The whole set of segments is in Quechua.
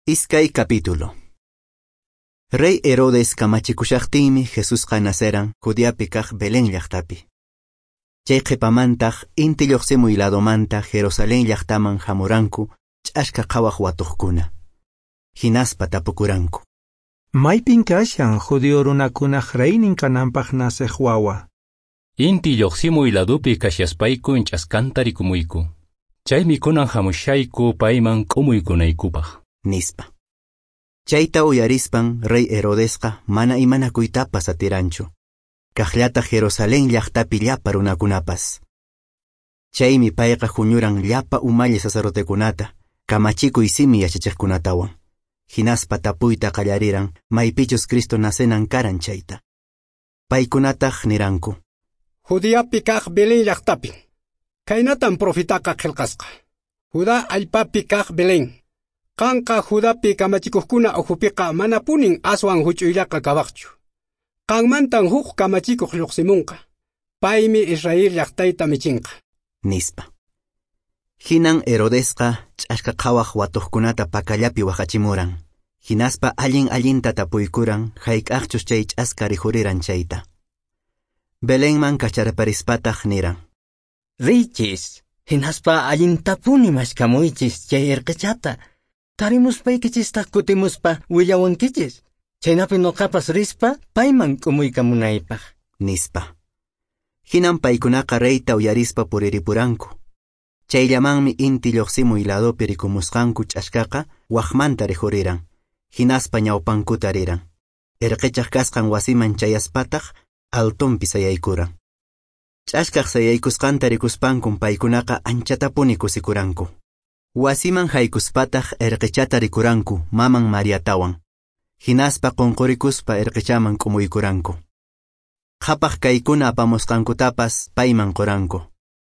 Iskay capítulo. Rey Herodes kamachikushaqtinmi Jesusqa naceran Judeapi kaq Belén llaqtapi. Chay qhipamantaq inti lluqsimuy ladomanta Jerusalén llaqtaman hamuranku ch'aska qhawaq watuqkuna. Hinaspa tapukuranku. Maypin kashan judío runakunaq reynin kananpaq naceq wawa. Inti lluqsimuy ladupi kashaspayku ch'askanta rikumuyku. Chaymi kunan hamushayku payman k'umuykunaykupaq. Nispa. Chayta uyarispan rey Herodesqa mana imanakuytapas atiranchu. Kaqllata Jerusalén llaqtapi llapa runakunapas. Chaymi payqa huñuran llapa umalli sacerdotekunata, kamachikuy simi yachachiqkunatawan. Hinaspa tapuyta qallariran maypichus Cristo nacenan karan chayta. Paykunataq niranku. Judeapi kaq Belén llaqtapi. Khaynatan profetaqa qillqasqa. Judá allpapi kaq Belén. Qanqa Judapi kamachikuqkuna ukhupiqa manapunin aswan huch'uyllaqa kawaqchu. Qanmantan huk kamachikuq lluqsimunqa. Paymi Israel llaqtayta michinqa. Nispa. Hinan Herodesqa ch'aska qhawaq watuqkunata pakallapi waqachimuran. Hinaspa allin allinta tapuykuran hayk'aqchus chay ch'aska rikhuriran chayta. Belenman kacharparispataq niran. Riychis, hinaspa allintapuni mashkamuychis chay irqichata. Tarimuspaykichistaq kutimuspa willawankichis. Chaynapi noqapas rispa payman k'umuykamunaypaq. Nispa. Hinan paykunaqa reyta uyarispa puriripuranku. Chayllamanmi inti lluqsimuy ladopi rikumusqanku ch'askaqa waqmanta rikhuriran. Hinaspa ñawpankuta riran. Irqichaq kasqan wasiman chayaspataq altonpi sayaykuran. Ch'askaq sayaykusqanta rikuspankun paykunaqa anchatapuni kusikuranku. Wasiman haykuspataq irqichata rikuranku maman Mariatawan. Hinaspa qunqurikuspa irqichaman k'umuykuranku. Qhapaq kaykuna apamusqankutapas payman quranku.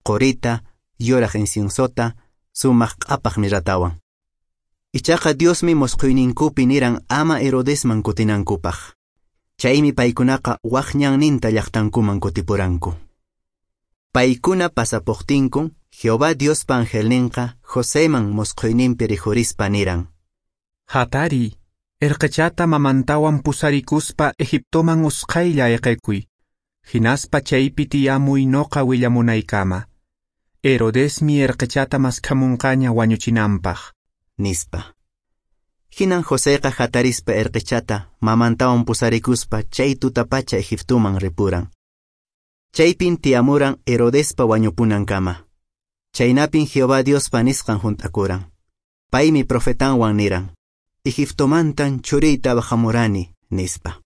Qurita, yuraq inciensota, sumaq q'apaq mirratawan. Ichaqa Diosmi musqhuyninkupi niran ama Herodesman kutinankupaq. Chaymi paykunaqa waq ñanninta llaqtankuman kutipuranku. Paykuna pasapuqtinkun Jehová Diospa angelninqa Joseman musqhuyninpi rikhurispa niran. Hatari, irqichata mamantawan pusarikuspa Egiptoman usqhaylla ayqikuy. Hinaspa chaypi tiyamuy noqa willamunaykama. Herodesmi irqichata maskhamunqaña wañuchinanpaq. Nispa. Hinan Joseqa hatarispa irqichata mamantawan pusarikuspa chay tutapacha Egiptoman ripuran. Chaypin tiyamuran Herodespa wañupunankama. Chaynapin Jehová Diospa nisqan hunt'akuran. Paymi profetanwan niran. Egiptomantan churiyta bahamurani, nispa.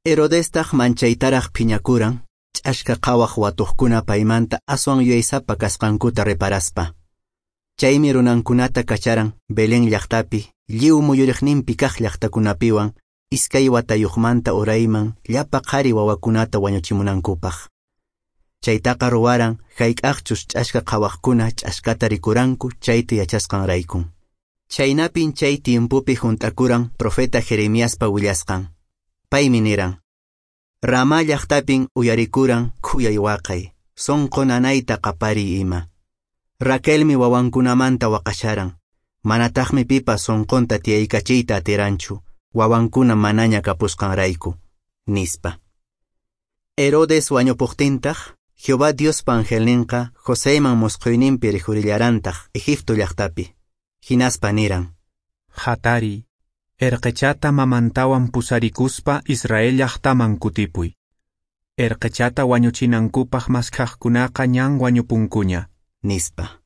Herodestaq manchaytaraq phiñakuran, ch'aska qhawaq watuqkuna paymanta aswan yuyaysapa kasqankuta reparaspa. Chaymi runankunata kacharan Belén llaqtapi, lliw muyuriqninpi kaq llaqtakunapiwan, iskay watayuqmanta urayman llapa qhari wawakunata wañuchimunankupaq. Chaytaqa ruwaran hayk'aqchus ch'aska qhawaqkuna ch'askata rikuranku chayta yachasqanraykun. Chaynapin chay tiempopi hunt'akuran profeta Jeremiaspa willasqan. Paymi niran. Ramá llaqtapin uyarikuran khuyay waqay, sunqu nanayta qapariy ima. Raquelmi wawankunamanta waqasharan, manataqmi pipas sunqunta tiyaykachiyta atiranchu, wawankuna manaña kapusqanrayku, nispa. Herodes wañupuqtintaq, Jehová Diospa angelninqa Joseman musqhuyninpi rikhurillarantaq Egipto llaqtapi. Hinaspa niran. Hatari, irqichata mamantawan pusarikuspa Israel llaqtaman kutipuy. Irqichata wañuchinankupaq maskhaqkunaqa ñan wañupunkuña. Nispa.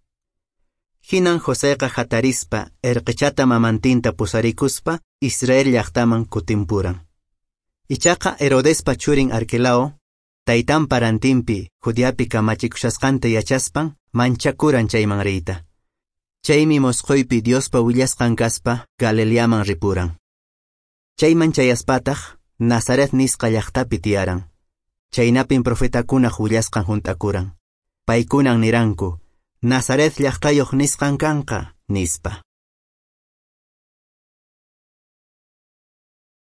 Hinan Joseqa hatarispa irqichata mamantinta pusarikuspa Israel llaqtaman kutimpuran. Ichaqa Herodespa churin Arquelao, taytanpa rantinpi Judeapi kamachikushasqanta yachaspan manchakuran chayman riyta. Chaymi musqhuypi Diospa willasqan kaspa Galileaman ripuran. Chayman chayaspataq Nazaret nisqa llaqtapi tiyaran. Chaynapin profetakunaq willasqan hunt'akuran. Paykunan niranku, Nazaret llaqtayuq nisqan kanqa, nispa.